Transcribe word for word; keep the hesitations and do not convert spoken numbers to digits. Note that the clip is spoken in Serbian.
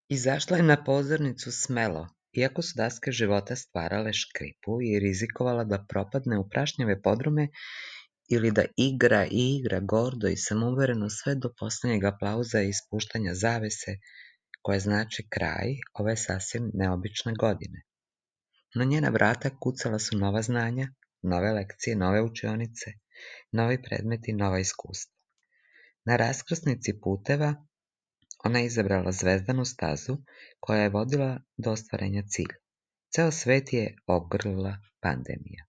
Izašla je na pozornicu smelo, iako su daske života stvarale škripu i rizikovala da propadne u prašnjave podrume ili da igra i igra gordo i samouvereno sve do poslednjeg aplauza i ispuštanja zavese, koje znači kraj ove sasvim neobične godine. Na njena vrata kucala su nova znanja, nove lekcije, nove učionice, novi predmeti, nova iskustva. Na raskrsnici puteva ona je izabrala zvezdanu stazu koja je vodila do ostvarenja cilja. Ceo svet je obgrlila pandemija.